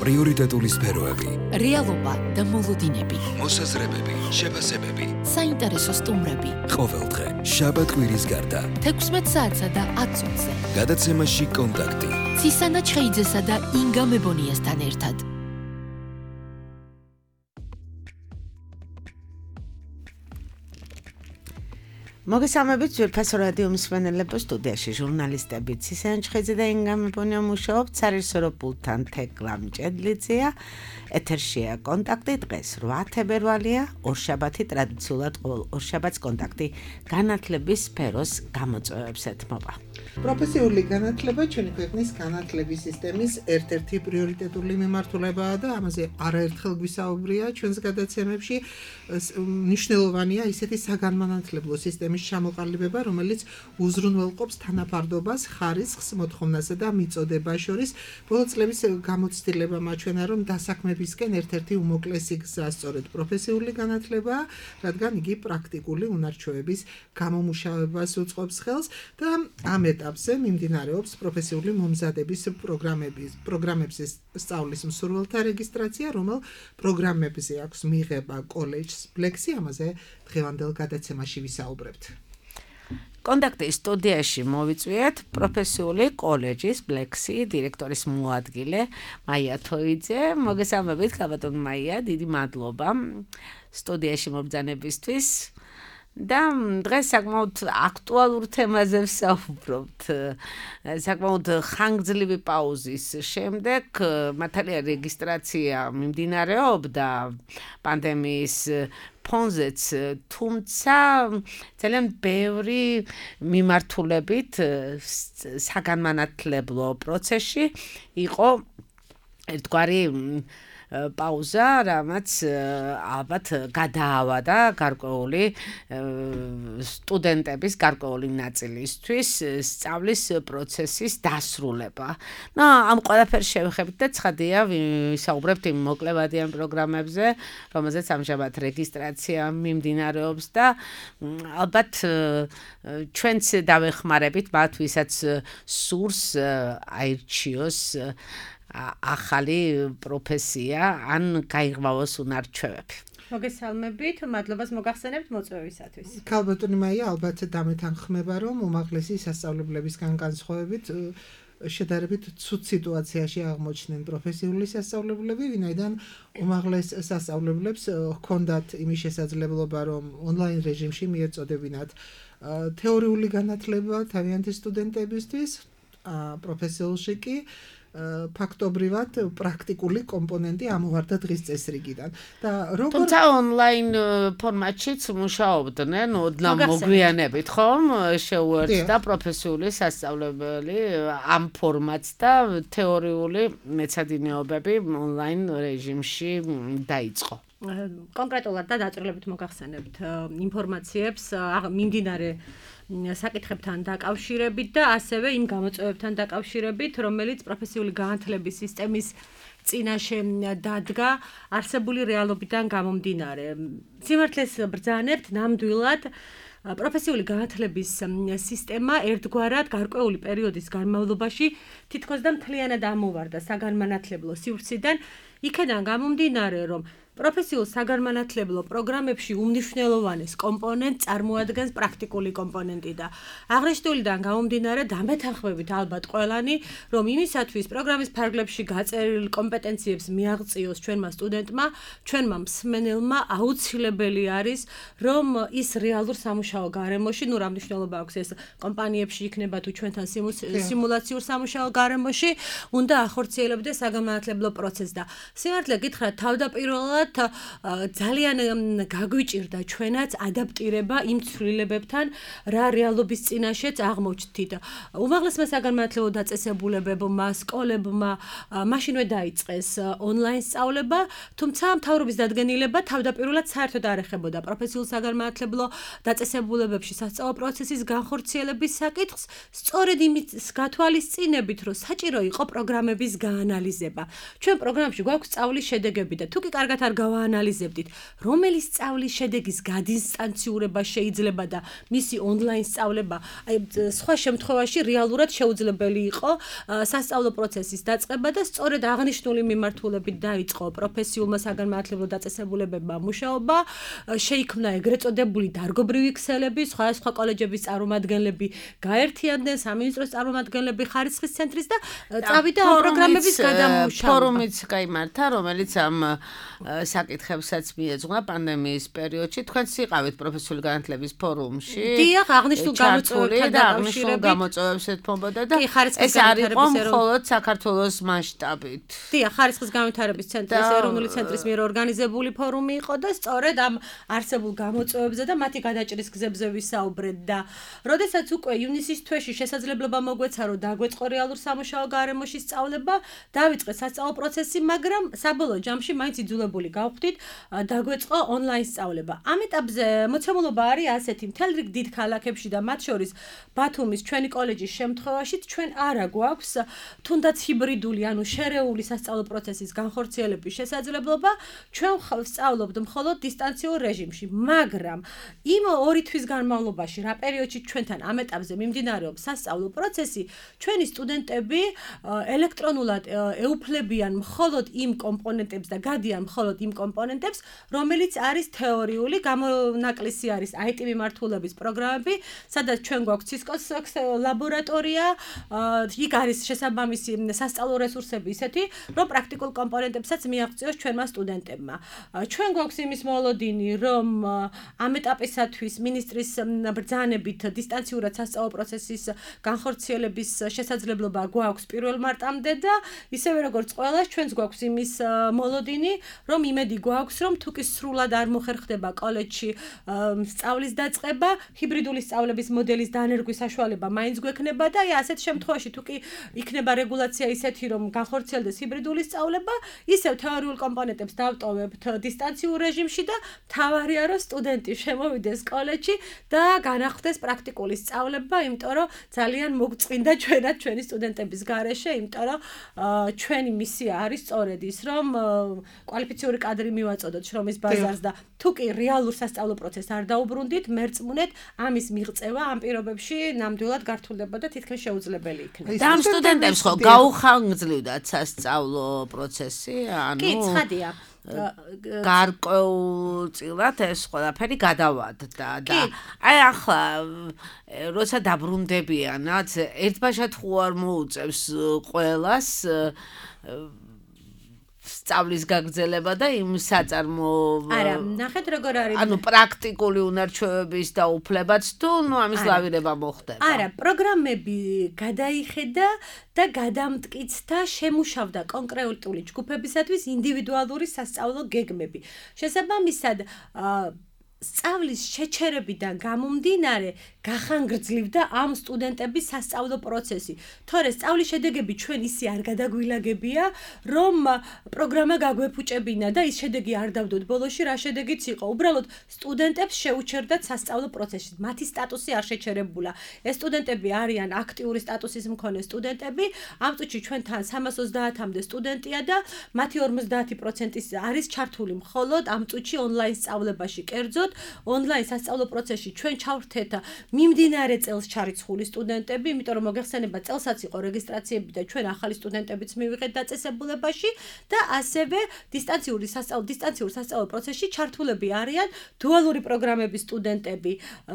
პრიორიტეტული სფეროები, რეალობა და მოლოდინები, მოსაზრებები, შეფასებები, საინტერესო სტუმრები. ყოველდღე, შაბათ-კვირის გარდა, 16 საათსა და 10 წუთზე. გადაცემაში კონტაქტი. ცისანა ჩხეიძესა და ინგა მებონიასთან ერთად. მოგესალმებით ძვირფასო რადიო მსმენელებო, სტუდიაში ჟურნალისტები ცისანა ჩხეიძე და ინგა მებონია მუშაობთ, სარეჟისორო პულტთან თეკლა მჭედლიძეა. ეთერშია კონტაქტი, დღეს 8 თებერვალია, ორშაბათი ტრადიციულად ყოველ ორშაბათს კონტაქტი განათლების სფეროს გამოწვევებს ეთმობა. პროფესიული განათლება ჩვენი ქვეყნის განათლების სისტემის ერთ-ერთი პრიორიტეტული მიმართულებაა და ამაზე არაერთხელ გვისაუბრია ჩვენს გადაცემებში. მნიშვნელოვანია ისეთი საგანმანათლებლო სისტემის ჩამოყალიბება, რომელიც უზრუნველყოფს თანაფარდობას, ხარისხს, მოთხოვნასა და მიწოდებას შორის. ბოლო წლების გამოცდილება მაჩვენა, რომ დასაქმებისკენ ერთ-ერთი უმოკლესი გზა სწორედ პროფესიული განათლებაა, რადგან იგი პრაქტიკული უნარჩვევების გამომუშავებას უწყობს ხელს და ამ ეტაპზე მიმდინარეობს პროფესიული მომზადების პროგრამებზე სწავლის მსურველთა რეგისტრაცია, რომელ პროგრამებზე აქვს მიღება კოლეჯს ბლექსი, ამაზე დღევანდელ გადაცემაში ვისაუბრებთ. კონტაქტის სტუდიაში მოვიწვიეთ პროფესიული კოლეჯის ბლექსი დირექტორის მოადგილე მაია თოიძე. მოგესალმებით, ქაბატონ მაია, დიდი მადლობა სტუდიაში მობრძანებისთვის. და დღეს საკმაოდ აქტუალურ თემაზე ვსაუბრობთ. საკმაოდ ხანგრძლივი პაუზის შემდეგ მართალია რეგისტრაცია მიმდინარეობდა პანდემიის ფონზეც, თუმცა ძალიან ბევრი მიმართულებით საგანმანათლებლო პროცესში იყო ერთგვარი პაუზა, რამაც ალბათ გადაავადა გარკვეული სტუდენტების გარკვეული ნაწილისთვის სწავლის პროცესის დასრულება. ამ ყველაფერს შევეხებით და ცხადია ვისაუბრებთ იმ მოკლევადიან პროგრამებზე, რომელზეც ამჟამად რეგისტრაცია მიმდინარეობს და ალბათ ჩვენც დავეხმარებით მათ, ვისაც სურს აირჩიოს ახალი პროფესია ან გაიღრმავოს უნარჩვევები. მოგესალმებით, მადლობას მოგახსენებთ მოწვევისათვის. ქალბატონი მაია, ალბათ დამეთანხმება, რომ უმაღლესი სასწავლებლებისგან განსხვავებით შედარებით ცუდ სიტუაციაში აღმოჩნდნენ პროფესიული სასწავლებლები, ვინაიდან უმაღლეს სასწავლებლებს ჰქონდათ იმის შესაძლებლობა, რომ ონლაინ რეჟიმში მიეწოდებინათ თეორიული განათლება თავიანთი სტუდენტებისთვის, პროფესიულში კი ფაქტობრივად პრაქტიკული კომპონენტი ამოვარდა დღის წესრიგიდან. თუმცა ონლაინ ფორმატშიც მუშაობდნენ, ოდნავ მოგვიანებით, ხომ? შეუერთდა პროფესიული სასწავლებელი ამ ფორმატს და თეორიული მეცადინეობები ონლაინ რეჟიმში დაიწყო. კონკრეტულად და დაწვრილებით მოგახსენებთ ინფორმაციებს მიმდინარე საკითხებთან დაკავშირებით და ასევე იმ გამოწვევებთან დაკავშირებით, რომელიც პროფესიული განათლების სისტემის წინაშე დადგა არსებული რეალობიდან გამომდინარე. სიმართლეს ბრძანებთ, ნამდვილად პროფესიული განათლების სისტემა ერთგვარად გარკვეული პერიოდის განმავლობაში თითქოს და მთლიანად ამოვარდა საგანმანათლებლო სივრციდან, იქედან გამომდინარე, რომ პროფესიულ საგანმანათლებლო პროგრამებში უმნიშვნელოვანეს კომპონენტს წარმოადგენს პრაქტიკული კომპონენტი და აღნიშნულიდან გამომდინარე დამეთანხმებით ალბათ ყველანი, რომ იმისათვის პროგრამის ფარგლებში გაწერილ კომპეტენციებს მიაღწიოს ჩვენმა სტუდენტმა, ჩვენმა მსმენელმა აუცილებელი არის, რომ ის რეალურ სამუშაო გარემოში, რა მნიშვნელობა აქვს ეს კომპანიებში იქნება თუ ჩვენთან სიმულაციურ სამუშაო გარემოში, უნდა ახორციელებდეს საგანმანათლებლო პროცესს და სიმართლე გითხრათ, თავდაპირველად ძალიან გაგვიჭირდა ჩვენაც ადაპტირება იმ ცვლილებებთან, რა რეალობის წინაშეც აღმოჩნდით. უმაღლესმა საგანმანათლებლო დაწესებულებებმა, სკოლებმა მაშინვე დაიწყეს ონლაინ სწავლება, თუმცა მთავრობის დადგენილება თავდაპირველად საერთოდ არ ეხებოდა პროფესიულ საგანმანათლებლო დაწესებულებებში სასწავლო პროცესის განხორციელების საკითხს, სწორედ იმის გათვალისწინებით, რომ საჭირო იყო პროგრამების გაანალიზება. ჩვენ პროგრამებში გვაქვს სწავლის შედეგები და თუ კი კარგად არ გავაანალიზებდით, რომელი სწავლის შედეგის გადინსტანციურება შეიძლება და მისი ონლაინ სწავლება, აი სხვა შემთხვევაში რეალურად შეუძლებელი იყო სასწავლო პროცესის დაწყება და სწორედ აღნიშნული მიმართულებით დაიწყო პროფესიულმა საგანმანათლებლო დაწესებულებებმა მუშაობა, შეიქმნა ეგრეთ წოდებული დარგობრივი ქსელები, სხვა კოლეჯების წარმომადგენლები გაერთიანდნენ, სამინისტროს წარმომადგენლები, ხარისხის ცენტრის და წავიდა ამ პროგრამების გადამუშავება. ფორუმიც გაიმართა, რომელიც ამ საკითხებსაც მიეძღვნა პანდემიის პერიოდში. თქვენც იყავით პროფესიული განათლების ფორუმში. დიახ, აღნიშნულ გამოწვევებს ეთმობოდა და ეს არ იყო მხოლოდ საქართველოს მასშტაბით. დიახ, ხარისხის განვითარების ცენტრის ეროვნული ცენტრის მიერ ორგანიზებული ფორუმი იყო და სწორედ ამ არსებულ გამოწვევებზე და მათი გადაჭრის გზებზე ვისაუბრეთ და როდესაც უკვე ივნისის თვეში შესაძლებლობა მოგვეცა რომ დაგვეწყო რეალურ სამუშაო გარემოში სწავლება, დავიწყეთ სასწავლო პროცესი, მაგრამ საბოლოო ჯამში მაინც იძულებული გავხდით დაგვეწყო ონლაინ სწავლება. ამ ეტაპზე მოცემულობა არის ასეთი, მთელ რიგ დიდ ქალაქებში და მათ შორის ბათუმის ჩვენი კოლეჯის შემთხვევაში ჩვენ არა გვაქვს თუნდაც ჰიბრიდული, ანუ შერეული სასწავლო პროცესის განხორციელების შესაძლებლობა, ჩვენ ვსწავლობთ მხოლოდ დისტანციურ რეჟიმში, მაგრამ იმ 2 თვის განმავლობაში, რა პერიოდში ჩვენთან ამ ეტაპზე მიმდინარეობს სასწავლო პროცესი, ჩვენი სტუდენტები ელექტრონულად ეუფლებიან მხოლოდ იმ კომპონენტებს და გადიან მხოლოდ იმ კომპონენტებს, რომელიც არის თეორიული, გამონაკლისი არის IT მიმართულების პროგრამები, სადაც ჩვენ გვაქვს Cisco-ს ლაბორატორია, იქ არის შესაბამისი სასწავლო რესურსები ისეთი, რომ პრაქტიკულ კომპონენტებსაც მიაღწიოს ჩვენმა სტუდენტებმა. ჩვენ გვაქვს იმის მოლოდინი, რომ ამ ეტაპისათვის მინისტრის ბრძანებით დისტანციურად სასწავლო პროცესის განხორციელების შესაძლებლობა გვაქვს 1 მარტამდე და ისევე როგორც ყველას ჩვენს გვაქვს იმის მოლოდინი, რომ იმედი გვაქვს, რომ თუ კი სრულად არ მოხერხდება კოლეჯში სწავლის დაწყება, ჰიბრიდული სწავლების მოდელის დანერგვის საშუალება მაინც გვექნება და ასეთ შემთხვევაში თუ კი იქნება რეგულაცია ისეთი, რომ განხორციელდეს ჰიბრიდული სწავლება, ისევ თეორიულ კომპონენტებს დავტოვებთ დისტანციურ რეჟიმში და მთავარია რომ სტუდენტი შემოვიდეს კოლეჯში და განახდეს პრაქტიკული სწავლება, იმიტომ რომ ძალიან მოგწმინდა ჩვენად ჩვენი სტუდენტების გარეშე, იმიტომ რომ ჩვენი მისია არის სწორედ ის, რომ კვალიფიციური კადრი მივაწოდოთ შრომის ბაზარს და თუ კი რეალურ სასწავლო პროცესს არ დაუბრუნდით, მერწმუნეთ, ამის მიღწევა ამ პირობებში ნამდვილად გართულდებოდა თითქმის შეუძლებელი იქნება. და ამ სტუდენტებს ხო გაუხანგრძლივდათ სასწავლო პროცესი, ანუ კი, ცხადია. გარკვეულწილად ეს ყველაფერი გადავადდა და აი ახლა როცა დაბრუნდებიანაც ერთბაშად ხო არ მოუწევს ყველას სწავლის გაგრძელება და იმ საწარმო არა, ნახეთ როგორ არის. ანუ პრაქტიკული უნარჩვევების და უფლებაც თუ ამის ლავირება მოხდება. არა, პროგრამები გადაიხედა და გადამტკიცდა, შემუშავდა კონკრეტული ჯგუფებისათვის ინდივიდუალური სასწავლო გეგმები. შესაბამისად, სწავლის შეჩერებიდან გამომდინარე გახანგრძლივდა ამ სტუდენტების სასწავლო პროცესი. თორე სწავლის შედეგები ჩვენ ისე არ გადაგვილაგებია, რომ პროგრამა გაგვეფუჭებინა და ის შედეგი არ დავდოთ ბოლოში, რა შედეგიც იყო. უბრალოდ სტუდენტებს შეუჩერდათ სასწავლო პროცესში. მათი სტატუსი არ შეჩერებულა. ეს სტუდენტები არიან აქტიური სტატუსის მქონე სტუდენტები. ამ წუთში ჩვენთან 330-მდე სტუდენტია და მათი 50% არის ჩართული მხოლოდ ამ წუთში ონლაინ სწავლებაში. კერძოდ ონლაინ სასწავლო პროცესში ჩვენ ჩავრთეთ მიმდინარე წელს ჩარიცხული სტუდენტები, იმიტომ რომ მოგეხსენება წელსაც იყო რეგისტრაციები და ჩვენ ახალი სტუდენტებიც მივიღეთ დაწესებულებაში და ასევე დისტანციურ სასწავლო პროცესში ჩართულები არიან დუალური პროგრამების სტუდენტები.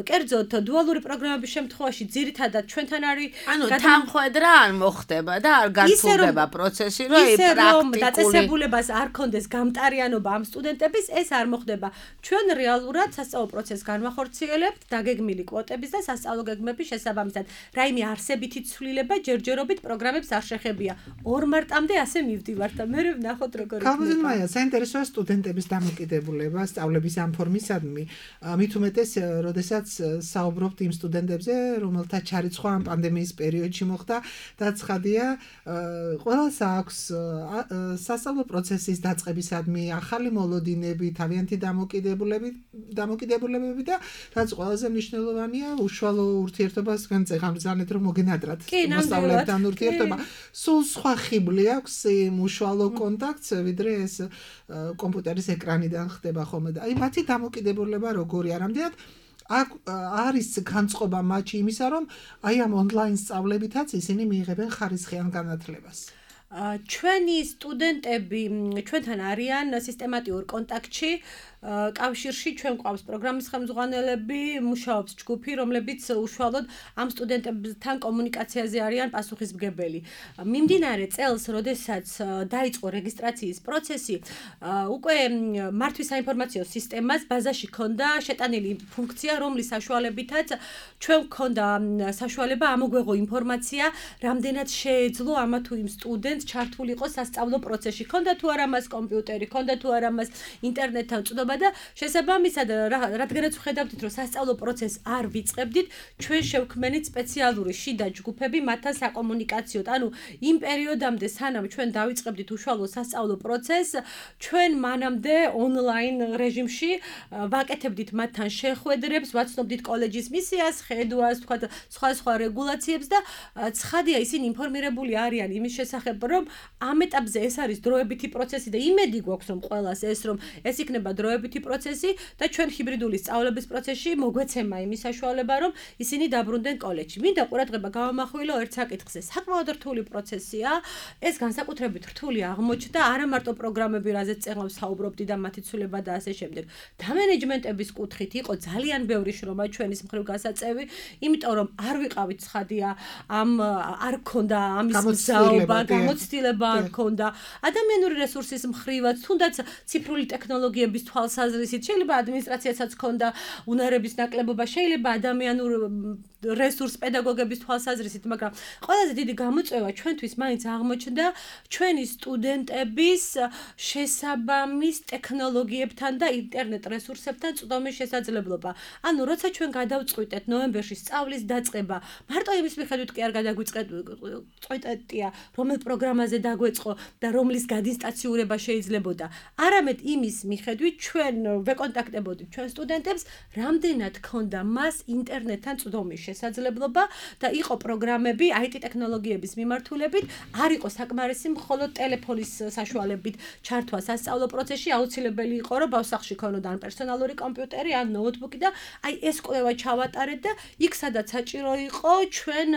კერძოდ დუალური პროგრამების შემთხვევაში ძირითადად ჩვენთან არის ანუ თანხმედრა არ მოხდება და არ გართულდება პროცესი, რომ პრაქტიკული დაწესებულებას არ ქონდეს გამტარიანობა ამ სტუდენტების, ეს არ მოხდება. ჩვენ რეალურად სასწავლო პროცესს განვახორციელებთ დაგეგმილი კვოტების და სასწავლო გეგმების შესაბამისად. რაიმე არსებითი ცვლილება ჯერჯერობით პროგრამებს არ შეხებია. 2 მარტამდე ასე მივდივართ და მე ვნახოთ როგორ იქნება. ქალბატონია, საინტერესოა სტუდენტების დამოკიდებულება სწავლების ამ ფორმისადმი. მით უმეტეს, როდესაც საუბრობთ იმ სტუდენტებზე, რომელთა ჩარიცხვა ამ პანდემიის პერიოდში მოხდა და ცხადია, ყველას აქვს სასწავლო პროცესის დაწყებისადმი ახალი მოლოდინები, თავიანთი დამოკიდებულებები და რაც ყველაზე მნიშვნელოვანია, უშუალო ურთიერთობას თქვენ წეგამბრძანეთ რომ მოგენადრათ მოსწავლეებთან ურთიერთობა. სულ სხვა ხიბლი აქვს იმ უშუალო კონტაქტს, ვიდრე ეს კომპიუტერის ეკრანიდან ხდება ხოლმე და აი მათი დამოკიდებულება როგორია, რამდენად არის განწყობა მათი იმისა, რომ აი ამ ონლაინ სწავლებითაც ისინი მიიღებენ ხარისხიან განათლებას. ჩვენი სტუდენტები ჩვენთან არიან სისტემატიურ კონტაქტში, კავშირში ჩვენ გვყავს პროგრამის ხელმძღვანელები, მუშაობს ჯგუფი, რომლებიც უშუალოდ ამ სტუდენტებთან კომუნიკაციაზე არიან პასუხისმგებელი. მიმდინარე წელს, როდესაც დაიწყო რეგისტრაციის პროცესი, უკვე მართვის საინფორმაციო სისტემას ბაზაში ჰქონდა შეტანილი ფუნქცია, რომლის საშუალებითაც ჩვენ გვქონდა საშუალება ამოგვეღო ინფორმაცია, რამდენად შეეძლო ამა თუ იმ სტუდენტს ჩართულიყო სასწავლო პროცესში. ჰქონდა თუ არა მას კომპიუტერი, ჰქონდა თუ არა მას ინტერნეტთან წვდომა და შესაბამისად, რადგანაც ვხედავდით, რომ სასწავლო პროცესს არ ვიწყებდით, ჩვენ შევქმნით სპეციალური შიდა ჯგუფები მათთან საკომუნიკაციოდ. ანუ იმ პერიოდამდე, სანამ ჩვენ დავიწყებდით უშუალო სასწავლო პროცესს, ჩვენ მანამდე ონლაინ რეჟიმში ვაკეთებდით მათთან შეხვედრებს, ვაცნობდით კოლეჯის მისიას, ხედვას, თქვათ, სხვა რეგულაციებს და ცხადია, ისინი ინფორმირებული არიან იმის შესახებ, რომ ამ ეტაპზე ეს არის დროებითი პროცესი და იმედი გვაქვს, რომ ყველას ეს რომ ეს იქნება დროებითი პროცესი და ჩვენ ჰიბრიდული სწავლების პროცესში მოგვეცემა იმის საშუალება, რომ ისინი დაბრუნდნენ კოლეჯში. მინდა ყურადღება გავამახვილო ერთ საკითხზე. საკმაოდ რთული პროცესია. ეს განსაკუთრებით რთული აღმოჩნდა არა მარტო პროგრამები, რაზეც წეგნავს საუბრობდი და მათი ცვლილება და ასე შემდეგ. დამენეჯმენტების კუთხით იყო ძალიან ბევრი შრომა ჩვენის მხრივ გასაწევი, იმიტომ რომ არ ვიყავით ცხადია, არ გქონდა ამის მზაობა, გამოცდილება არ გქონდა. ადამიანური რესურსის მხრივაც, თუნდაც ციფრული ტექნოლოგიების თვალსაზრისით, შეიძლება ადმინისტრაციასაც ჰქონდა უნარების ნაკლებობა, შეიძლება ადამიანურ რესურს პედაგოგების თვალსაზრისით, მაგრამ ყველაზე დიდი გამოწვევა ჩვენთვის მაინც აღმოჩნდა ჩვენი სტუდენტების შესაბამის ტექნოლოგიებთან და ინტერნეტ რესურსებთან წვდომის შესაძლებლობა. ანუ როცა ჩვენ გადავწყვიტეთ ნოემბერში სწავლის დაწყება, მარტო იმის მიხედვით კი არ გადაგვიწყვეტია, რომელ პროგრამაზე დაგვეწყო და რომლის გადინსტაციურება შეიძლებოდა. არამედ იმის მიხედვით ჩვენ ვეკონტაქტებოდით ჩვენ სტუდენტებს, რამდენად ჰქონდა მას ინტერნეტთან წვდომის შესაძლებლობა და იყო პროგრამები IT ტექნოლოგიების მიმართულებით, არ იყო საკმარისი მხოლოდ ტელეფონის საშუალებით ჩართვა სასწავლო პროცესში, აუცილებელი იყო, რომ ბავშვსახში ქონოდა ან პერსონალური კომპიუტერი, ან ნოუთბუქი და აი ეს კვლევა ჩავატარეთ და იქ სადაც საჭირო იყო, ჩვენ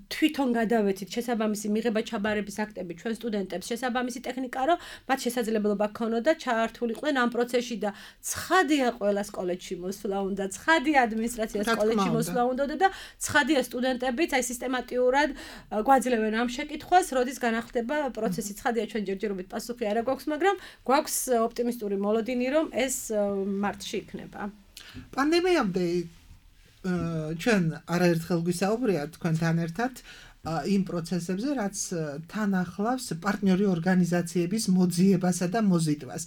თვითონ გადავეცით შესაბამისი მიღება-ჩაბარების აქტები ჩვენ სტუდენტებს, შესაბამისი ტექნიკა, რომ მათ შესაძლებლობა ჰქონოდა ჩართულიყვნენ ამ პროცესში და ცხადია ყველას კოლეჯში მოსვლა უნდა, ცხადია ადმინისტრაციას კოლეჯში მოსვლა უნდა და ცხადია სტუდენტებიც აი სისტემატიურად გვაძლევენ ამ შეკითხვას, როდის განახლდება პროცესი. ცხადია ჩვენ ჯერჯერობით პასუხი არ გვაქვს, მაგრამ გვაქვს ოპტიმისტური მოლოდინი, რომ ეს მარტში იქნება. პანდემიამდე ჩვენ არაერთხელ გვისაუბრია თქვენთან ერთად იმ პროცესებზე, რაც თან ახლავს პარტნიორი ორგანიზაციების მოძიებასა და მოზიდვას.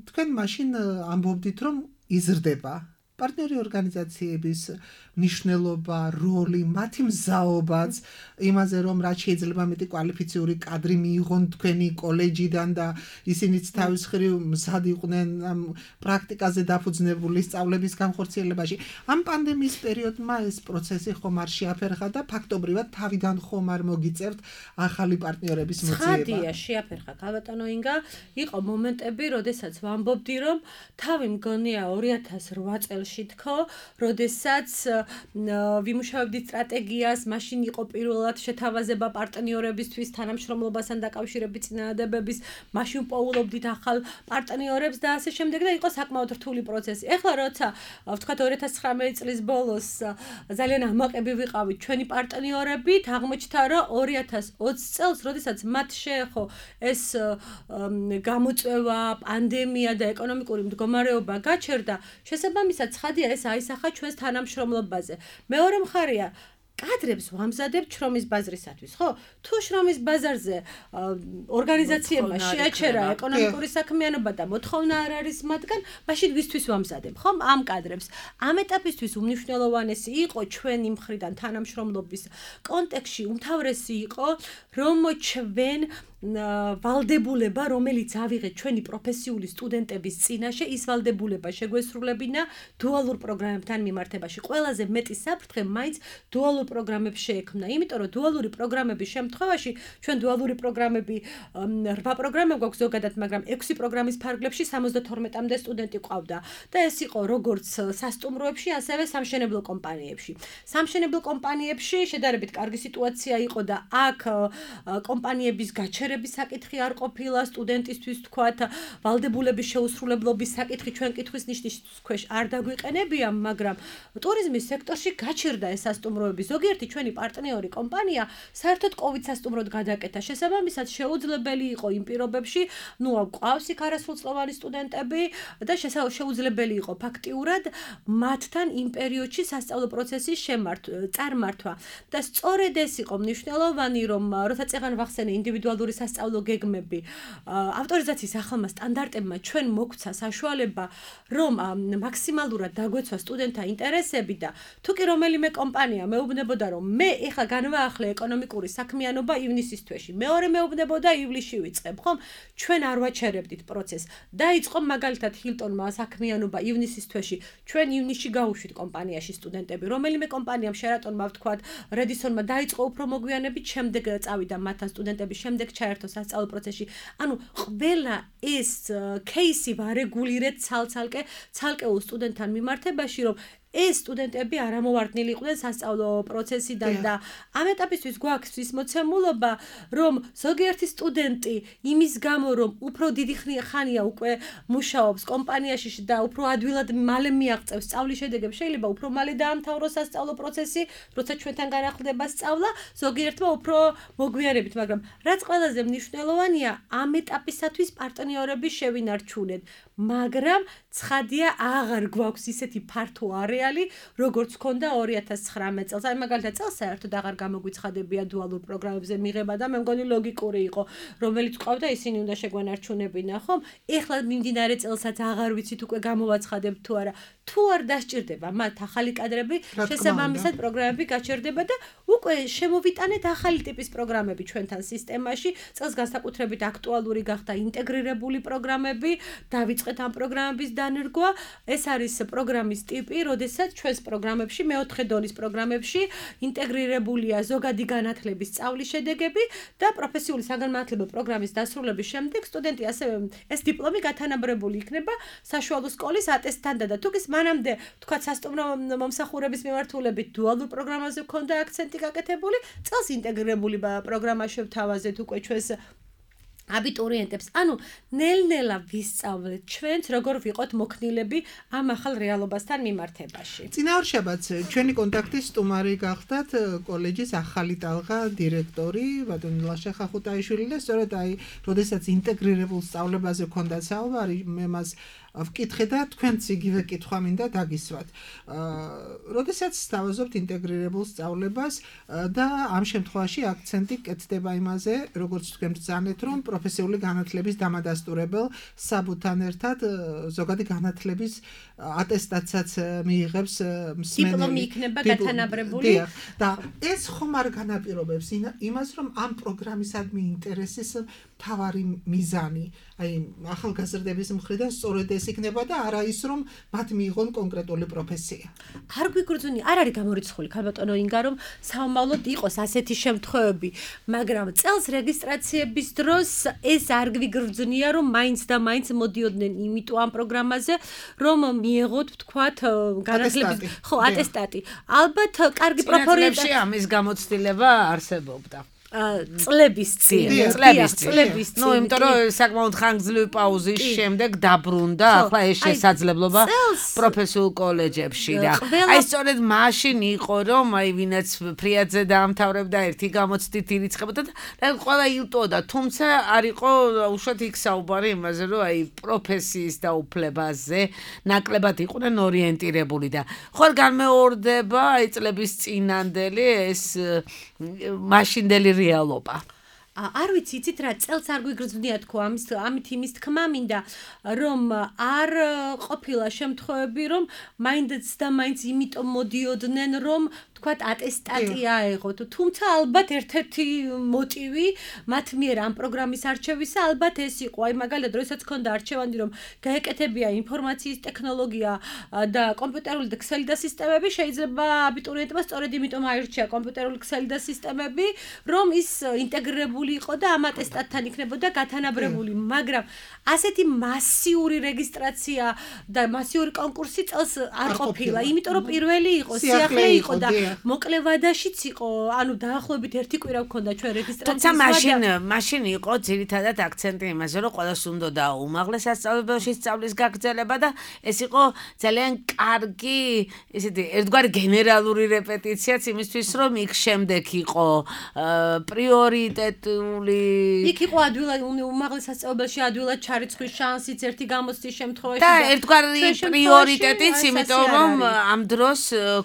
თქვენ მაშინ ამბობდით, რომ იზრდება პარტნიორი ორგანიზაციების მნიშვნელობა, როლი, მათი მზაობაც, იმაზე რომ რაც შეიძლება მეტი კვალიფიციური კადრი მიიღონ თქვენი კოლეჯიდან და ისინიც თავის მხრივ მზად იყვნენ ამ პრაქტიკაზე დაფუძნებული სწავლების განხორციელებაში. ამ პანდემიის პერიოდმა ეს პროცესი ხომ არ შეაფერხა და ფაქტობრივად თავიდან ხომ არ მოგიწევთ ახალი პარტნიორების მოძიება. ცხადია, შეაფერხა ქალბატონო ინგა, იყო მომენტები, როდესაც ვამბობდი, რომ თავი მგონია 2008 წელში თქო, როდესაც ვიმუშავებდი სტრატეგიას, მაშინ იყო პირველად შეთავაზება პარტნიორებისთვის, თანამშრომლობასთან დაკავშირებით წინადადებების, მაშინ პოულობდით ახალ პარტნიორებს და ასე შემდეგ და იყო საკმაოდ რთული პროცესი. ეხლა როცა ვთქვათ 2019 წლის ბოლოს ძალიან ამაყები ვიყავით ჩვენი პარტნიორებით, აღმოჩნდა რომ 2020 წელს, როდესაც მათ შეეხო ეს გამოწვევა, პანდემია და ეკონომიკური მდგომარეობა გაჩერდა, შესაბამისად ცხადია ეს აისახა ჩვენს თანამშრომლობაზე. მეორე მხარეა კადრებს ვამზადებთ შრომის ბაზრისათვის, ხო? თუ შრომის ბაზარზე ორგანიზაციებმა შეაჩერა ეკონომიკური საქმიანობა და მოთხოვნა არ არის მათგან, მაშინ ვისთვის ვამზადებ, ხო? ამ კადრებს. ამ ეტაპისთვის უმნიშვნელოვანესი იყო ჩვენი მხრიდან თანამშრომლობის კონტექსტში, უმთავრესი იყო, რომ ჩვენ ვალდებულება, რომელიც ავიღეთ ჩვენი პროფესიული სტუდენტების წინაშე, ის ვალდებულება შეგვესრულებინა დუალურ პროგრამებთან მიმართებაში. ყველაზე მეტი საფრთხე მაინც დუალურ პროგრამებს შეექმნა, იმიტომ რომ დუალური პროგრამების შემთხვევაში ჩვენ დუალური პროგრამები 8 პროგრამა გვაქვს ზოგადად, მაგრამ 6 პროგრამის ფარგლებში 72-მდე სტუდენტი ყავდა და ეს იყო როგორც სასტუმროებში, ასევე სამშენებლო კომპანიებში. სამშენებლო კომპანიებში შედარებით კარგი სიტუაცია იყო და აქ კომპანიების გაჩერების საკითხი არ ყოფილა, სტუდენტისთვის თქვათ, ვალდებულების შეუსრულებლობის საკითხი ჩვენ კითხვის ნიშნის ქვეშ არ დაგვიყენებია, მაგრამ ტურიზმის სექტორში გაჩერდა ეს სასტუმროები. ზოგიერთი ჩვენი პარტნიორი კომპანია საერთოდ COVID სასტუმროდ გადაკეთა. შესაბამისად შეუძლებელი იყო იმ პირობებში, გვყავს იქ არასრულწლოვანი სტუდენტები და შეუძლებელი იყო ფაქტიურად მათთან იმ პერიოდში სასწავლო პროცესის წარმართვა. და სწორედ ეს იყო მნიშვნელოვანი, რომ როცა წეღან ვახსენე ინდივიდუალური სასწავლო გეგმები, ავტორიზაციის ახალმა სტანდარტებმა ჩვენ მოგცა საშუალება, რომ მაქსიმალურად დაგვეცვა სტუდენტთა ინტერესები და თუ კი რომელიმე კომპანია მეუბნებოდა, რომ მე ეხლა განვაახლე ეკონომიკური საქმიანობა ივნისის თვეში, მეორე მეუბნებოდა ივლისში ვიწყებ, ხომ? ჩვენ არ ვაჩერებდით პროცესს. დაიწყო მაგალითად ჰილტონმა საქმიანობა ივნისის თვეში, ჩვენ ივნისში გავუშვით კომპანიაში სტუდენტები. რომელიმე კომპანიამ შერატონმა ვთქვათ, რედისონმა დაიწყო უფრო მოგვიანებით, შემდეგ წავიდა მათთან სტუდენტები, შემდეგ ჩაერთო სასწავლო პროცესში. ანუ ყველა ეს кейსი ვარეგულირეთ ცალკეულ სტუდენტთან მიმართებაში, რომ ეს სტუდენტები არ ამოვარდნილი იყვნენ სასწავლო პროცესიდან და ამ ეტაპისთვის გვაქვს ის მოცემულობა, რომ ზოგიერთი სტუდენტი იმის გამო, რომ უფრო დიდი ხანია უკვე მუშაობს კომპანიაში და უფრო ადვილად მალე მიაღწევს სწავლის შედეგებს, შეიძლება უფრო მალე დაამთავროს სასწავლო პროცესი, როცა ჩვენთან განახლდება სწავლა, ზოგიერთმა უფრო მოგვიანებით, მაგრამ რაც ყველაზე მნიშვნელოვანია, ამ ეტაპისათვის პარტნიორები შევინარჩუნეთ, მაგრამ ცხადია აღარ გვაქვს ისეთი ფართო არეალი, როგორც ჰქონდა 2019 წელს. აი მაგალითად წელს საერთოდ აღარ გამოგვიცხადებია დუალურ პროგრამებზე მიღება და მე მგონი ლოგიკური იყო, რომელიც ყავდა ისინი უნდა შეგვენარჩუნებინა, ხომ? ეხლა მიმდინარე წელსაც აღარ ვიცით უკვე გამოვაცხადებთ თუ არა. თუ არ დასჭირდება მათ ახალი კადრები, შესაბამისად პროგრამები გაჩერდება და უკვე შემოვიტანეთ ახალი ტიპის პროგრამები ჩვენთან სისტემაში. წელს განსაკუთრებით აქტუალური გახდა ინტეგრირებული პროგრამები, დავიწყეთ ამ პროგრამების დანერგვა. ეს არის პროგრამის ტიპი, როდესაც ჩვენს პროგრამებში, მეოთხე დონის პროგრამებში ინტეგრირებულია ზოგადი განათლების სწავლის შედეგები და პროფესიული საგანმანათლებლო პროგრამის დასრულების შემდეგ სტუდენტი ასევე ეს დიპლომი გათანაბრებული იქნება საშუალო სკოლის ატესტთან და თუ ის მანამდე თქვა სასტუმრო მომსახურების მიმართულებით დუალურ პროგრამაზე ქონდა აქცენტი გაკეთებული, წელს ინტეგრირებული პროგრამა შევთავაზეთ უკვე ჩვენს აბიტურიენტებს. ანუ ნელ-ნელა ვისწავლეთ ჩვენც როგორ ვიყოთ მოქნილები ამ ახალ რეალობასთან მიმართებაში. წინაორ შაბათს ჩვენი კონტაქტის სტუმარი გახდათ კოლეჯის ახალი ტალღა დირექტორი ბატონი ლაშა ხახუტაიშვილი და სწორედ აი, როდესაც ინტეგრირებულ სწავლებაზე ქონდა საუბარი, მე მას ვკითხე და თქვენც იგივე კითხვა მინდა დაგისვათ. როდესაც სთავაზობთ ინტეგრირებულ სწავლებას და ამ შემთხვევაში აქცენტი კეთდება იმაზე, როგორც თქვენ ბრძანეთ, რომ პროფესიული განათლების დამადასტურებელ საბუთთან ერთად ზოგადი განათლების ატესტაციაც მიიღებს მსმენელი. დიპლომი იქნება გათანაბრებული. და ეს ხომ არ განაპირობებს იმას, რომ ამ პროგრამისადმი ინტერესის მთავარი მიზანი, აი ახალგაზრდების მხრიდან სწორედ ეს იქნება და არა ის, რომ მათ მიიღონ კონკრეტული პროფესია. არ გვიგრძნი, არ არის გამორიცხული ქალბატონო ინგა, რომ საომავლოდ იყოს ასეთი შემთხვევები, მაგრამ წელს რეგისტრაციების დროს ეს არ გვიგრძნია, რომ მაინც და მაინც მოდიოდნენ იმიტომ ამ პროგრამაზე, რომ მიიღოთ, ვთქვათ, განათლების ატესტატი. ალბათ კარგი პროფორიენტი ამის გამოცდილება არსებობდა. წლების წინ. ნუ იმიტომ რომ საკმაოდ ხანგრძლივი პაუზის შემდეგ დაბრუნდა ახლა ეს შესაძლებლობა პროფესიულ კოლეჯებში და აი სწორედ მაშინ იყო რომ აი ვინაც ფრიაძე დაამთავრებდა ერთი გამოცდით ირიცხებოდა და ყველა ილტოდა, თუმცა არ იყო უშუალოდ იქ საუბარი იმაზე რომ აი პროფესიის დაუფლებაზე ნაკლებად იყვნენ ორიენტირებული და ხარ განმეორდება აი წლების წინანდელი ეს მაშინდელი რეალობა. არ ვიცი, იცით რა, წელს არ გვიგრძნია თქო ამით იმის თქმა მინდა, რომ არ ყოფილა შემთხვევები, რომ მაინც და მაინც იმიტომ მოდიოდნენ, რომ თქვათ ატესტატი აეღოთ. თუმცა ალბათ ერთ-ერთი მოტივი მათ მიერ ამ პროგრამის არჩევისა ალბათ ეს იყო. აი მაგალითად, როდესაც ქონდა არჩევანი, რომ გაეკეთებია ინფორმაციის ტექნოლოგია და კომპიუტერული და ქსელი და სისტემები, შეიძლება აბიტურიენტმა სწორედ იმიტომ აირჩია კომპიუტერული ქსელი და სისტემები, რომ ის ინტეგრირებული იყო და ამ ატესტატთან იქნებოდა გათანაბრებული, მაგრამ ასეთი მასიური რეგისტრაცია და მასიური კონკურსი წელს არ ყოფილა, იმიტომ რომ პირველი იყო, სიახლე იყო და მოკლე ვადაშიც იყო, ანუ დაახლოებით ერთი კვირა გქონდა ჩვენ რეგისტრაციის ვადა. თუმცა მაშინ იყო ძირითადად აქცენტი იმაზე, რომ ყველას უნდა უმაღლეს სასწავლებელში სწავლის გაგრძელება და ეს იყო ძალიან კარგი, ისეთი ერთგვარი გენერალური რეპეტიციაც იმისთვის, რომ იქ შემდეგ იყო პრიორიტეტული. იქ იყო ადვილად უმაღლეს სასწავლებელში ადვილად ჩარიცხვის შანსიც ერთი გამოცდის შემთხვევაში და ერთგვარი პრიორიტეტიც, იმიტომ რომ ამ დროს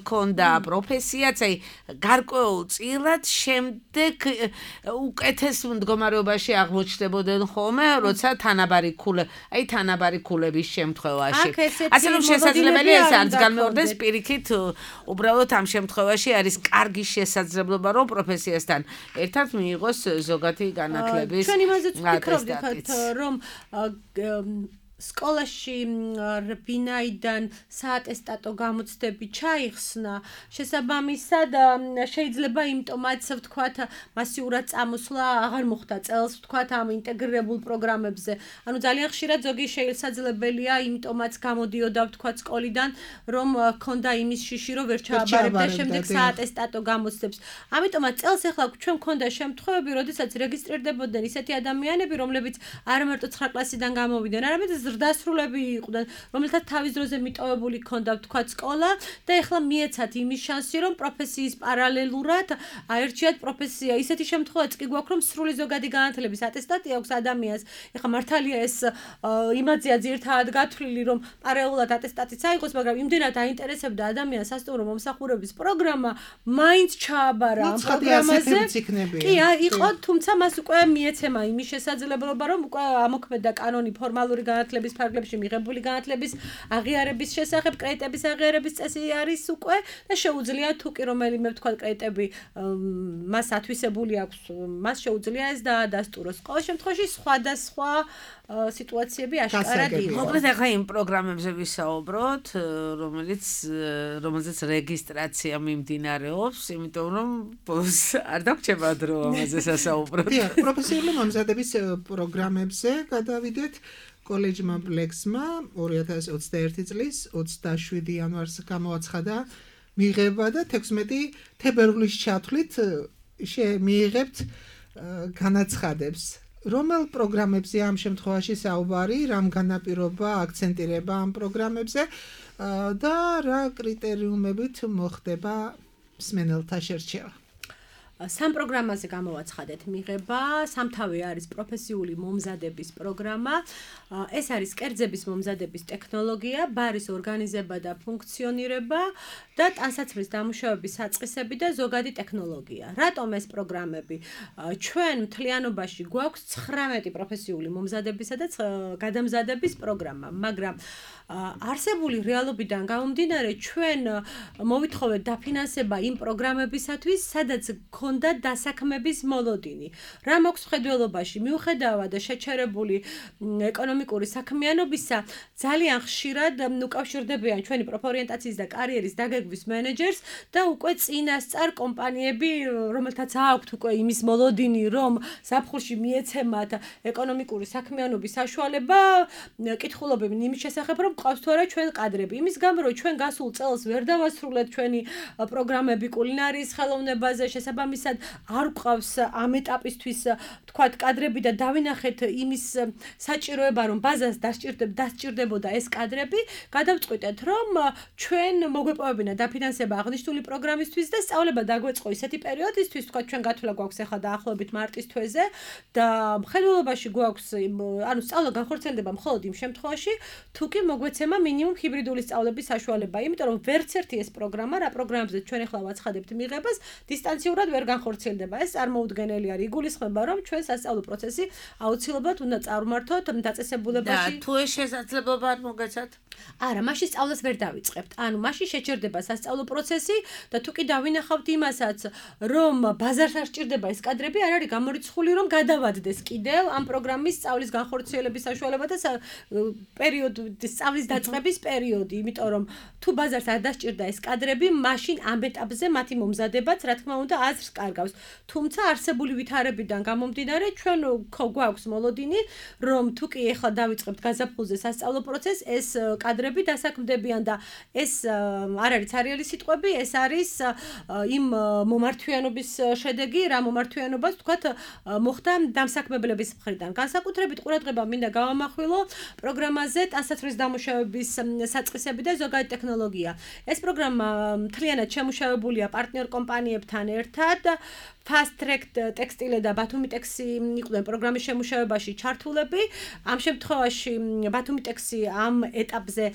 ქონდა პროფესიაც, აი გარკვეულწილად შემდეგ უკეთეს მდგომარეობაში აღმოჩნდებოდნენ ხოლმე, როცა თანაბარი ქულების შემთხვევაში. ასე რომ შესაძლებელია ეს არც განმეორდეს პირიქით, უბრალოდ ამ შემთხვევაში არის კარგი შესაძლებლობა, რომ პროფესიასთან ერთად მიიღოს ზოგადი განათლების ჩვენ იმაზეც ვფიქრობთ, რომ სკოლაში რბინაიდან საატესტატო გამოცდები ჩაიხსნა, შესაბამისად შეიძლება იმიტომაც ვთქვათ მასიურად წამოსვლა აღარ მოხდა წელს ვთქვათ ამ ინტეგრირებულ პროგრამებზე. ანუ ძალიან ხშირად ზოგი შესაძლებელია იმიტომაც გამოდიოდა ვთქვათ სკოლიდან, რომ ქონდა იმის შიში, რომ ვერ ჩააბარებდა შემდეგ საატესტატო გამოცდებს. ამიტომაც წელს ახლა ჩვენ ქონდა შემთხვევები, როდესაც რეგისტრირდებოდნენ ისეთი ადამიანები, რომლებიც არა მარტო 9 კლასიდან გამოვიდნენ, არამედ ზრდასრულები იყვნენ, რომელთაც თავის დროზე მიტოვებული ჰქონდა ვთქვათ სკოლა და ეხლა მიეცათ იმის შანსი, რომ პროფესიის პარალელურად აერჩიათ პროფესია. ისეთი შემთხვევაც კი გვაქვს, რომ სრული ზოგადი განათლების ატესტატი აქვს ადამიანს. ეხლა მართალია ეს იმაზეა ძირთადად გათვლილი, რომ პარალელურად ატესტატიც აიღოს, მაგრამ იმდენად აინტერესებდა ადამიანს სასტუმრო მომსახურების პროგრამა, მაინც ჩააბარა ამ პროგრამაზე. კი, იყო, თუმცა მას უკვე მიეცემა იმის შესაძლებლობა, რომ უკვე ამოქმედა კანონი ფორმალური განათლების ფარგლებში მიღებული განათლების აღიარების შესახებ, კრედიტების აღიარების წესი არის უკვე და შეუძლია თუ კი რომელიმე ვთქვათ კრედიტები მას ათვისებული აქვს, მას შეუძლია ეს დაადასტუროს. ყოველ შემთხვევაში სხვადასხვა სიტუაციები აშკარად იყო. მოკლედ ახლა იმ პროგრამებზე ვისაუბროთ, რომელზეც რეგისტრაცია მიმდინარეობს, იმიტომ რომ არ დაგჭება დრო ამაზე სასაუბროთ. პროფესიული მომზადების პროგრამებზე გადავიდეთ. კოლეჯმა ბლექსმა 2021 წლის 27 იანვარს გამოაცხადა მიღება და 16 თებერვლის ჩათვლით მიიღებთ განაცხადებს. რომელ პროგრამებზე ამ შემთხვევაში საუბარი, რამ განაპირობა აქცენტირება ამ პროგრამებზე და რა კრიტერიუმებით მოხდება მსმენელთა შერჩევა? სამ პროგრამაზე გამოვაცხადეთ მიღება, სამთავე არის პროფესიული მომზადების პროგრამა, ეს არის კერძების მომზადების ტექნოლოგია, ბარის ორგანიზება და ფუნქციონირება და ტანსაცმლის დამუშავების საწყისები და ზოგადი ტექნოლოგია. რატომ ეს პროგრამები? ჩვენ მთლიანობაში გვაქვს 19 პროფესიული მომზადებისა და გადამზადების პროგრამა, მაგრამ არსებული რეალობიდან გამომდინარე ჩვენ მოვითხოვეთ დაფინანსება იმ პროგრამებისათვის, სადაც ქონდა დასაქმების მოლოდინი. რა მაქვს ხედველობაში, მიუხედავად შეჩერებული ეკონომიკური საქმიანობისა, ძალიან ხშირად უკავშირდებიან ჩვენი პროფორიენტაციის და კარიერის დაგეგმვის მენეჯერს და უკვე წინასწარ კომპანიები, რომელთაც აქვთ უკვე იმის მოლოდინი, რომ ზაფხულში მიეცემათ ეკონომიკური საქმიანობის საშუალება, კითხულობენ იმის შესახებ, რომ ყავს თუ არა ჩვენ კადრები. იმის გამო, რომ ჩვენ გასულ წელს ვერ დავასრულეთ ჩვენი პროგრამები კულინარიის ხელოვნებაზე, შესაბამისად არ გვყავს ამ ეტაპისთვის თქვათ კადრები და დავინახეთ იმის საჭიროება, რომ ბაზას დასჭირდებოდა ეს კადრები, გადავწყვიტეთ, რომ ჩვენ მოგვეპოვებინა დაფინანსება აღნიშნული პროგრამისთვის და სწავლება დაგვეწყო ისეთი პერიოდისთვის, თქვათ ჩვენ გათვლა გვაქვს ახლა დაახლოებით მარტის თვეზე და მხედველობაში გვაქვს, ანუ სწავლა განხორციელდება მხოლოდ იმ შემთხვევაში, თუ კი მოგვეცემა მინიმუმ ჰიბრიდული სწავლების საშუალება, იმიტომ რომ ვერც ერთი ეს პროგრამა, რა პროგრამებზე ჩვენ ახლა ვაცხადებთ მიღებას, დისტანციურად ვერ განხორციელდება. ეს წარმოუდგენელი არის. იგულისხმება, რომ ჩვენ სასწავლო პროცესი აუცილებლად უნდა წარმართოთ დაწესებულებაში. და თუ ეს შესაძლებლობა არ მოგეცათ? არა, მაშინ სწავლას ვერ დავიწყებთ. ანუ მაშინ შეჭერდება სასწავლო პროცესი და თუ კი დავინახავთ იმასაც, რომ ბაზარს არ სჭირდება ეს კადრები, არ არის გამორიცხული, რომ გადავადდეს კიდევ ამ პროგრამის სწავლის განხორციელების საშუალება და პერიოდი სწავლის დაწყების პერიოდი, იმიტომ რომ თუ ბაზარს არ დასჭირდა ეს კადრები, მაშინ ამ ეტაპზე მათი მომზადებაც, რა თქმა უნდა, აზრს კარგავს. თუმცა არსებული ვითარებიდან გამომდინარე, ჩვენ გვაქვს მოლოდინი, რომ თუ კი ეხლა დავიწყებთ გაზაფხულზე სასწავლო პროცესს, ეს კადრები დასაქმდებიან და ეს არ არის ცარიელი სიტყვები, ეს არის იმ მომართვიანობის შედეგი, რა მომართვიანობას თქვათ მოხდა დამსაქმებლების მხრიდან. განსაკუთრებით ყურადღება მინდა გავამახვილო პროგრამაზე ტანსაცმლის დამუშავების საწყისები და ზოგადი ტექნოლოგია. ეს პროგრამა მთლიანად შემუშავებულია პარტნიორ კომპანიებთან ერთად. Fast Track ტექსტილე და ბათუმი ტექსი იყვნენ პროგრამის შემუშავებაში ჩართულები. ამ შემთხვევაში ბათუმი ტექსი ამ ეტაპზე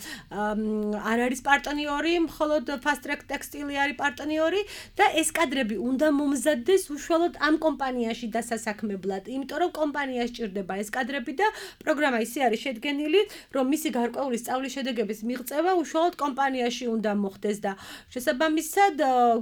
არ არის პარტნიორი, მხოლოდ Fast Track ტექსტილი არის პარტნიორი და ეს კადრები უნდა მომზადდეს უშუალოდ ამ კომპანიაში დასასაქმებლად, იმიტომ რომ კომპანიას სჭირდება ეს კადრები და პროგრამა ისე არის შედგენილი, რომ მისი გარკვეული სწავლის შედეგების მიღწევა უშუალოდ კომპანიაში უნდა მოხდეს და შესაბამისად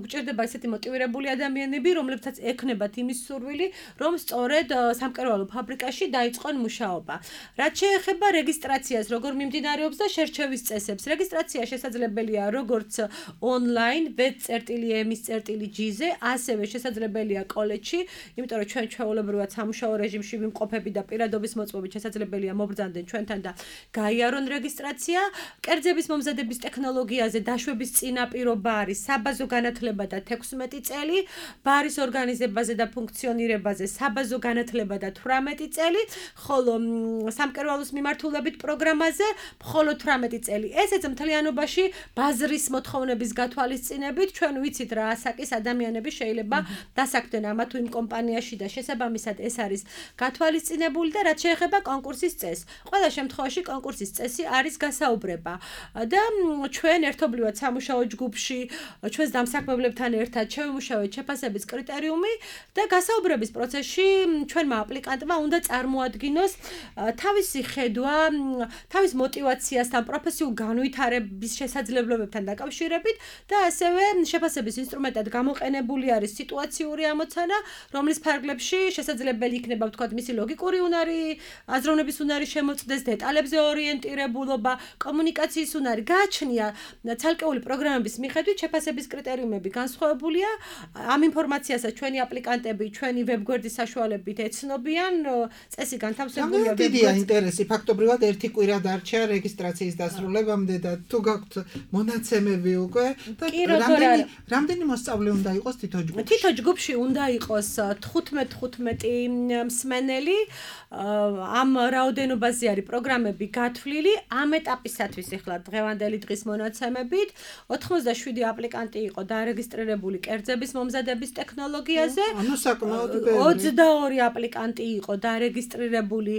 გვჭირდება ესეთი მოტივირებული ადამიანები, რომლებსაც ექნებათ იმის სურვილი, რომ სწორედ სამკერვალო ფაბრიკაში დაიწყონ მუშაობა. რაც შეეხება რეგისტრაციას, როგორ მიმდინარეობს და შერჩევის წესებს. რეგისტრაცია შესაძლებელია როგორც ონლაინ web.ms.gz-ზე, ასევე შესაძლებელია კოლეჯში, იმიტომ რომ ჩვენ ჩვეულებრივად სამუშაო რეჟიმში ვიმყოფები და პირადობის მოწვევით შესაძლებელია მობრძანდნენ ჩვენთან და გაიარონ რეგისტრაცია. კერძების მომზადების ტექნოლოგიაზე დაშვების წინაპირობა არის საბაზო განათლება და 16 წელი, ბარის ორგანიზებაზე და ფუნქციონირებაზე საბაზო განათლება და 18 წელი, ხოლო სამკერვალოს მიმართულებით პროგრამაზე მხოლოდ 18 წელი. ესეც მთლიანობაში ბაზრის მოთხოვნების გათვალისწინებით ჩვენ ვიცით რა ასაკის ადამიანები შეიძლება დასაქმდნენ ამა თუ იმ კომპანიაში და შესაბამისად ეს არის გათვალისწინებული და რაც შეეხება კონკურსის წესს. ყველა შემთხვევაში კონკურსის წესი არის გასაუბრება და ჩვენ ერთობლივად სამუშაო ჯგუფში ჩვენს დამსაქმებლებთან ერთად შევიმუშავეთ შეფასების კრიტერიუმი და გასაუბრების პროცესში ჩვენმა აპლიკანტმა უნდა წარმოადგინოს თავისი ხედვა, თავის მოტივაციასთან, პროფესიულ განვითარების შესაძლებლობებთან დაკავშირებით და ასევე შეფასების ინსტრუმენტად გამოყენებული არის სიტუაციური ამოცანა, რომლის ფარგლებში შესაძლებელი იქნება ვთქვათ მისი ლოგიკური უნარი, აზროვნების უნარი შემოწდეს, დეტალებზე ორიენტირებულობა, კომუნიკაციის უნარი. გააჩნია ცალკეული პროგრამების მიხედვით შეფასების კრიტერიუმები განსხვავებულია. ამ ინფორმაციასაც ჩვენი აპლიკანტები, ჩვენი ვებგვერდის საშუალებით ეცნობიან, წესი განთავსებულია ვებგვერდზე. ინტერესი ფაქტობრივად ერთი კვირა დარჩა რეგისტრაციის დასრულებამდე და თუ გაქვთ მონაცემები უკვე და რამდენი მოსწავლე უნდა იყოს თითო ჯგუფში? თითო ჯგუფში უნდა იყოს 15 მსმენელი. ამ რაოდენობაზე არის პროგრამები გათვლილი. ამ ეტაპისათვის ახლა დღევანდელი დღის მონაცემებით 87 აპლიკანტი იყო დარეგისტრირებული კერძების მომზადების ტექნოლოგიაზე. ანუ საკმაოდ ბევრი. 22 აპლიკანტი იყო დარეგისტრირებული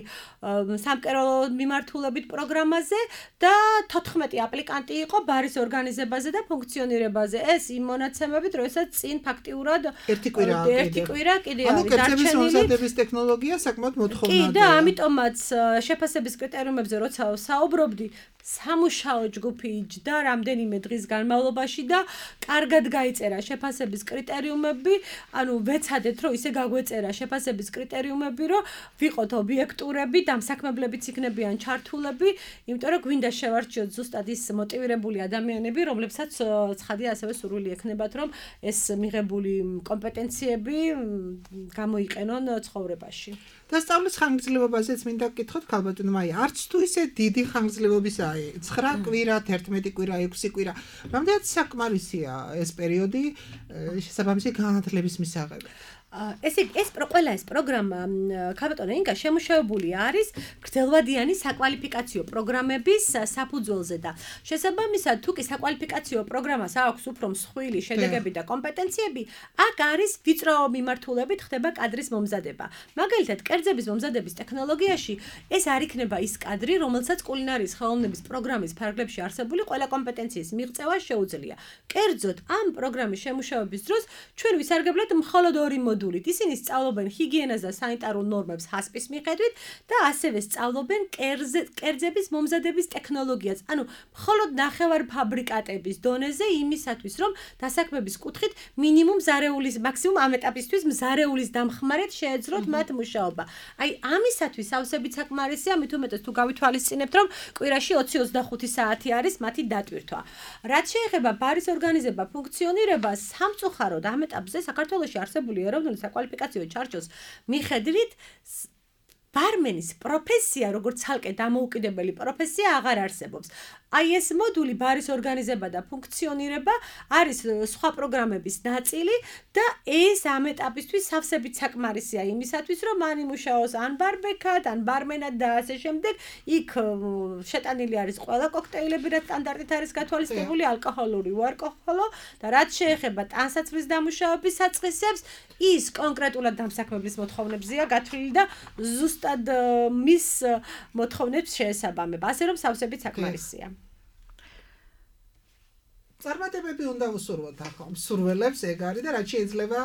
სამკერვალო მიმართულებით პროგრამაზე და 14 აპლიკანტი იყო ბარის ორგანიზებაზე და ფუნქციონირებაზე. ეს იმ მონაცემებით, როდესაც წინ ფაქტიურად ერთი კვირა კიდე არის კერძების მომზადების ტექნოლოგია საკმაოდ მოთხოვნადია. კი და ამიტომაც შეფასების კრიტერიუმებზე როცა საუბრობდი, სამუშაო ჯგუფი იჯდა რამდენიმე დღის განმავლობაში და კარგად გაიწერა შეფასების კრიტერიუმები, ანუ ვეცადეთ რომ ისე გაგვეწერა შეფასების კრიტერიუმები, რომ ვიყოთ ობიექტურები, დამსაქმებლებიც იქნებიან ჩართულები, იმიტომ რომ გვინდა შევარჩიოთ ზუსტად ის მოტივირებული ადამიანები, რომლებსაც ცხადია ასევე სურვილი ექნებათ, რომ ეს მიღებული კომპეტენციები გამოიყენონ ცხოვრებაში. დასწავლის ხანგრძლივობაზეც მინდა გკითხოთ ქალბატონო მაია, არც თუ ისე დიდი ხანგრძლივობისაა 9 კვირა, 11 კვირა, 6 კვირა. რამდენად საკმარისია ეს პერიოდი შესაბამისი განათლების მისაღებად? ყველა ეს პროგრამა ქალბატონო ინგა შემუშავებული არის გრძელვადიანი საკვალიფიკაციო პროგრამების საფუძველზე და შესაბამისად თუ კი საკვალიფიკაციო პროგრამას აქვს უფრო მსხვილი შედეგები და კომპეტენციები, აქ არის ვიწრო მიმართულებით ხდება კადრის მომზადება. მაგალითად, კერძების მომზადების ტექნოლოგიაში ეს არ იქნება ის კადრი, რომელსაც კულინარიის ხელოვნების პროგრამის ფარგლებში არსებული ყველა კომპეტენციის მიღწევა შეუძლია. კერძოდ, ამ პროგრამის შემუშავების დროს ჩვენ ვისარგებლეთ მხოლოდ ორი მოდულით. ისინი სწავლობენ ჰიგიენას და სანიტარულ ნორმებს ჰასპის მიხედვით და ასევე სწავლობენ კერძების მომზადების ტექნოლოგიას. ანუ მხოლოდ ნახევარფაბრიკატების დონეზე იმისათვის, რომ დასაქმების კუთხით მაქსიმუმ ამ ეტაპისთვის მზარეულის დამხმარედ შეეძლოთ მათ მუშაობა. აი, ამისათვის სავსებით საკმარისია, მით უმეტეს თუ გავითვალისწინებთ, რომ კვირაში 20-25 საათი არის მათი დატვირთვა. რაც შეეხება ბარის ორგანიზება, ფუნქციონირებას, სამწუხაროდ ამ ეტაპზე საქართველოში არსებული ეროვნული საკვალიფიკაციო ჩარჩოს მიხედვით ბარმენის პროფესია, როგორც ცალკე დამოუკიდებელი პროფესია აღარ არსებობს. აი ეს მოდული ბარის ორგანიზება და ფუნქციონირება არის სხვა პროგრამების ნაწილი და ეს ამ ეტაპისთვის სავსებით საკმარისია იმისათვის, რომ მან იმუშაოს ან ბარბეკად, ან ბარმენად და ასე შემდეგ. იქ შეტანილი არის ყველა კოქტეილები, რაც სტანდარტით არის გათვალისწინებული, ალკოჰოლური, უალკოჰოლო და რაც შეეხება ტანსაცმლის დამუშავების საწყისებს, ის კონკრეტულად დამსაქმებლის მოთხოვნებზეა გათვლილი და ზუსტად მის მოთხოვნებს შეესაბამება, ასე რომ სავსებით საკმარისია. წარმატებები უნდა უსურვოთ ახლა მსურველებს ეგ არის და რაც შეიძლება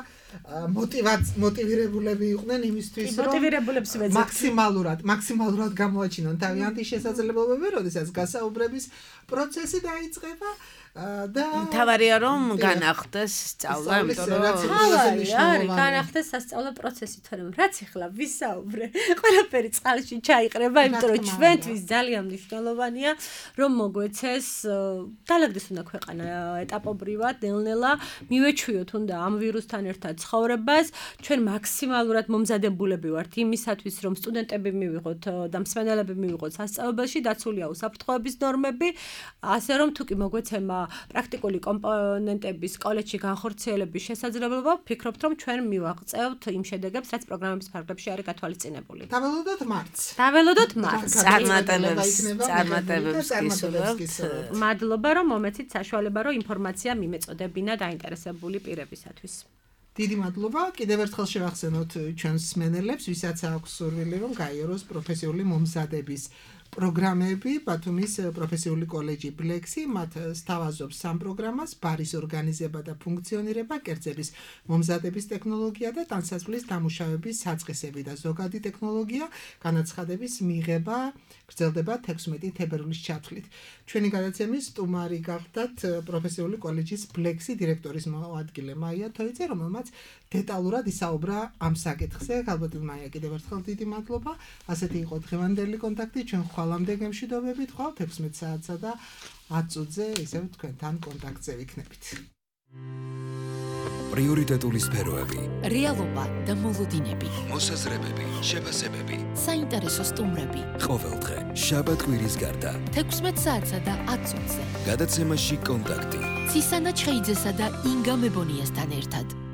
მოტივირებულები იყვნენ იმისთვის რომ მოტივირებულებს ვეძებთ მაქსიმალურად გამოაჩინონ თავიანთი შესაძლებლობები, როდესაც გასაუბრების პროცესი დაიწყება და თავარია რომ განახდეს სწავლა, იმიტომ რომ განახდეს სასწავლო პროცესი, თორემ რაც ახლა ვისაუბრე, ყველაფერი წყალში ჩაიყრება, იმიტომ რომ ჩვენთვის ძალიან მნიშვნელოვანია, რომ მოგვეცეს დალაგდეს უნდა ქვეყანა ეტაპობრივად, ნელ-ნელა მივეჩვიოთ უნდა ამ ვირუსთან ერთად ცხოვრებას, ჩვენ მაქსიმალურად მომზადებულები ვართ იმისათვის, რომ სტუდენტები მივიღოთ და მსმენელები მივიღოთ სასწავლებელში, დაცულია უსაფრთხოების ნორმები, ასე რომ თუ კი მოგვეცემა პრაქტიკული კომპონენტების კოლეჯში განხორციელების შესაძლებლობა, ვფიქრობთ, რომ ჩვენ მივაღწევთ იმ შედეგებს, რაც პროგრამების ფარგლებში არის გათვალისწინებული. დაველოდოთ მარტს. წარმატებებს გისურვებთ. მადლობა, რომ მომეცით საშუალება, რომ ინფორმაცია მიმეწოდებინა დაინტერესებული პირებისათვის. დიდი მადლობა. კიდევ ერთხელ შევახსენოთ ჩვენს მსმენელებს, ვისაც აქვს სურვილი, რომ გაიაროს პროფესიული მომზადების პროგრამები, ბათუმის პროფესიული კოლეჯი ბლექსი, მათ სთავაზობს სამ პროგრამას: ბარის ორგანიზება და ფუნქციონირება, კერძების მომზადების ტექნოლოგია და ტანსაცმლის დამუშავების საწყისები და ზოგადი ტექნოლოგია, განაცხადების მიღება გრძელდება 16 თებერვლის ჩათვლით. ჩვენი გადაცემის სტუმარი გახდათ პროფესიული კოლეჯის ბლექსი დირექტორის მოადგილე მაია თოიძე, რომელმაც დეტალურად ისაუბრა ამ საკითხზე. ალბათ მაია, კიდევ ერთხელ დიდი მადლობა. ასეთი იყო დღევანდელი კონტაქტი. ჩვენ ხვალამდე გემშვიდობებით, ხვალ 16 საათსა და 10 წუთზე ისევ თქვენთან კონტაქტზე ვიქნებით. პრიორიტეტული სფეროები, რეალობა და მოლოდინები, მოსაზრებები, შეფასებები, საინტერესო სტუმრები. ყოველდღე, შაბათ-კვირის გარდა. 16 საათსა და 10 წუთზე. გადაცემაში კონტაქტი. ცისანა ჩხეიძესა და ინგა მებონიასთან ერთად.